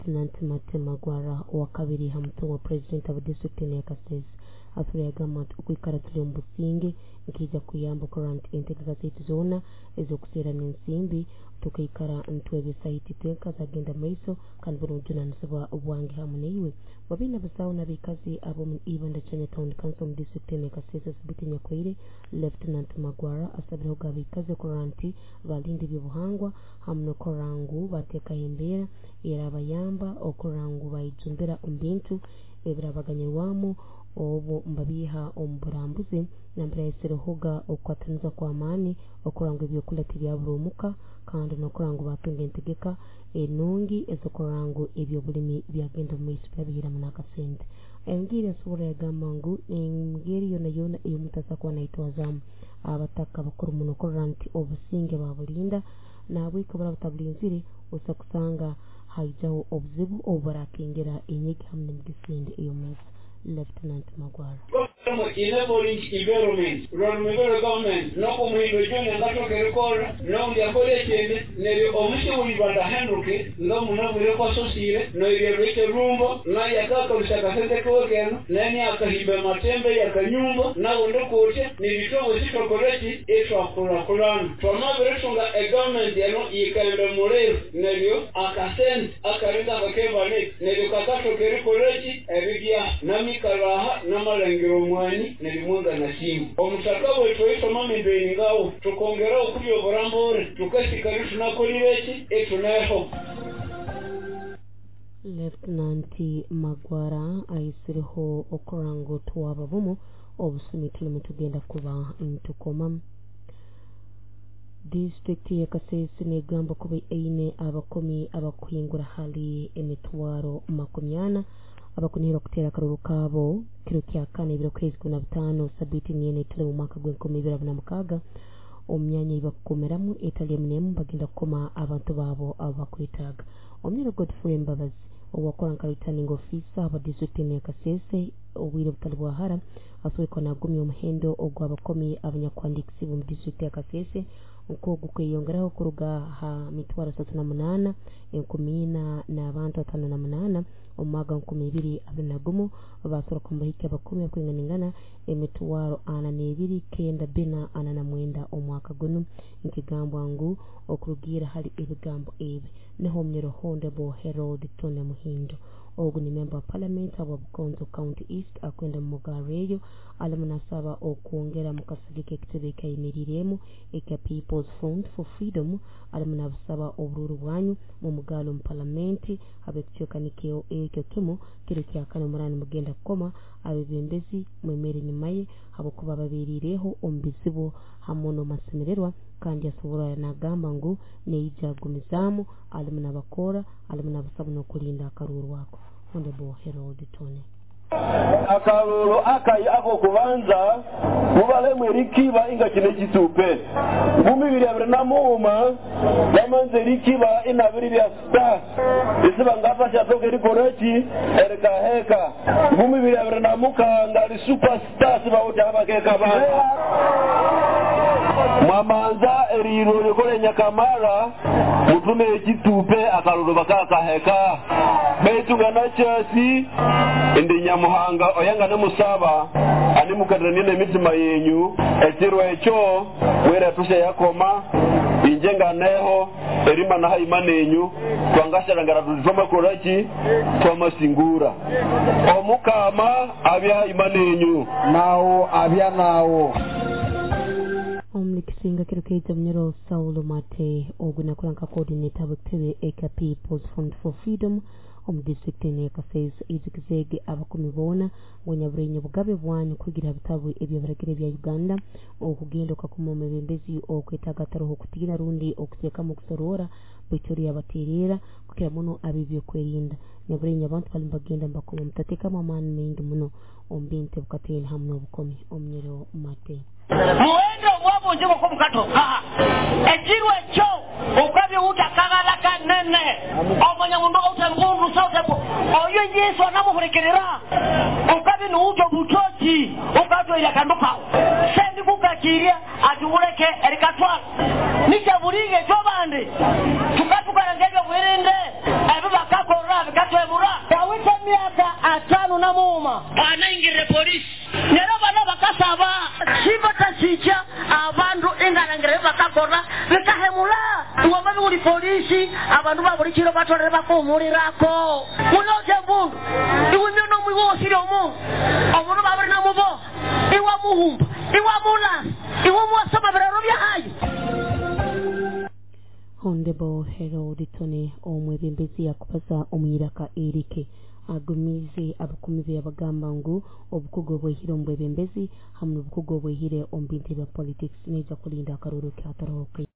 Lieutenant Mate Magwara owakabiri ha mutwe wa president aba district eno ya Kasese asobora yagamba nti okwikara tuli omu businge nkiija kuyamba okurora nti entegeka zaitu zoona ez'okuseerana ensimbi tukaikara ntwebesaho itwenka zagenda maiso kandi buli bujunanizibwa bwange hamu naiwe. Babaine abasawo n'abaikazi ab'omu Ibanda Chania Town Council omu district eno ya Kasese Sibiti Nyakwaire. Lieutenant Magwara asabirehoga abaikazi okurora nti balinda ebyobuhangwa hamu n'okurora ngu bateekaho embeera erabayamba okurora ngu bayejumbira omu bintu ebirabaganyirwamu obu mbabiiha omu burambuzi nambere ayesirehoga okukwataniza kw'amaani okurora ngu ebyokulya tibyabura omuka kandi n'okurora ngu batunga entegeka enungi ez'okurora ngu ebyobulimi byagenda omu maiso byabihiramu n'akasente. Ayongiire asobora yagamba ngu engeri yoona yoona ey'omuntu asobora kuba naitwazaamu abataka bakuru muno kurora nti obusinge babulinda, nahabweki obu baraaba batabulinzire osobola kusanga haijaho obuzibu obu barakingira enyigi hamu n'emigisa endi ey'omu maiso. Lieutenant Magwara. Enabling environment rwarumebere government nokwo omuhindo junior ngatoka erikora noundi akora ekindi neryo omusi wa Ibanda Henry nga munabwire kwasosire noirya rwete rumbo naye akakalusha akasente kiwe keno nani akahimba matembe yakanyumba nawundi kutya nibitobo sitokoreki etwakurakurana twamabiretunga egovernment eno yikaenda muliro neryo akasente akaringa akakebane neryo kakatoka erikoreki ebibya namikaraha namalangiro omwani nerimwenga na simu omutaka wetu oisoma mindweni ngawo tukongera okubya oburambure tukasikari tunakolireki etuneho. Lieutenant Magwara ayisireho okurora ngu twaba bumu obusumi tulimu tugenda kuba ntukoma. Disitulikiti ya Kasese negamba kuba eine abakomi abakuhingura hali emitwaro 40 abakunihira okuteera akaruru kaabo kiro kya kane ebiro kwezi 15 sabiiti niyo tuli mu mwaka gw'enkumi ibiri abiri na mukaaga omu myanya ei bakukomeramu etali emu n'emu bagenda kukoma abantu baabo abo bakwetaaga. Omunyoro Godfrey Mbabazi owakora nka returning officer aba disitulikiti eno ya Kasese obwire butali bwahara asoboire nagumya omuhendo ogw'abakomi abanyakuhandiikisibwa omu disitulikiti ya Kasese nk'ogu kweyongeraho kuruga ha mitwaro 38 458 omu mwaka 2021 basobora kumubahika abakumi abakwinganingana emitwaro 42 949 omwaka gunu nkigambwa ngu okurugiira hali ebigambo ebi niho omunyoro Honorable Harold Tone Muhindo ogu ni member wa parliament aba Bukonzo County East akwenda mu mugaro eyo alimu nasaba okwongera mu kasagika ekitebe ekayemeriiremu ekya People's Front for Freedom alimu nabasaba obururu bwanyu mu mugalo mu palamenti ab'ekicweka nikyo ekyo kimu kiro kya kane murani mugenda kukoma abebembezi mwemere enyuma ye habwokuba baberiireho omu bizibu hamu n'omasemererwa kandi asobora nagamba ngu neija agumizaamu alimu nabakora alimu nabasaba n'okulinda akaruru ako. Honorable Harold Tone. Akaruru akayi ako kubanza mubalemu erikiba inga kine kitupe ngumi 2024 yamanze erikiba inabiri bya star isiba ngapa kyatoka erikoreki erikaheka ngumi 2026 ngali superstar siba wote abakeka bana mwamanza eriro rikole nyakamara mutume ekitupe akaruru bakakaheka baitu ngana chasi indi nyamuhanga oyanga nemusaba animukatiranie n'emitima yenyu ekiro ekyo mwere tushe yakoma inje nganeho erima na haima nenyu twangasharangara tutwamakoraki twamasingura omukama abya haima nenyu nawo abya nawo. Omulikisinga kiro keija munyoro Saulo Mate ogu nakora nka coordinator w'ekitebe eka People's Front for Freedom omu disitulikiti eno ya Kasese ijukizege abakumi boona ngu nyaburenye bugabe bwanyu kuhigira bitabu eby'ebiragiro ebya Uganda okugenda okakuma omwebembezi okwetaaga ataroho okutiina rundi okuteekamu okusoroora baitu ori yabateerera kukira muno ab'ebyokwerinda. Nyaburenye abantu bali nibagenda nibakoma mutateekamu amaani maingi muno omu bintu ebikataine hamu n'obukomi. Omunyoro Mate. Muwendo obwabungi bwoko mukatoka ekiro ekyo okabiwuta kagala kanene omanya mundu utamgundu sote oyo Yesu anamuhurekerera okabi nuuto butoki ukatwira kanduka sendi kukakiria atiureke erikatwala nichabulige tobandi tukatukarangebyo bwirinde ebi bakakora bikatu Namuuma anaingirire polisi nero bano bakasaba sibatasija abandu engalangire bakakora bikahemula ngoma buli polisi abandu babuli kiro batolere bakuhumulirako munoje mbundu iwe myono mwiwe osiri omu omundu babuli namubo iwe muhumba iwe mulasa iwe muwasoma birero byahayo. Honorable Harold Tony omwebembezi yakubaza omwiraka erike agumize abakumi be abagamba ngu obukugu obwehire omu bwebembezi hamu n'obukugu obwehire omu bintu ebya politics neija kulinda akaruru kyataroho.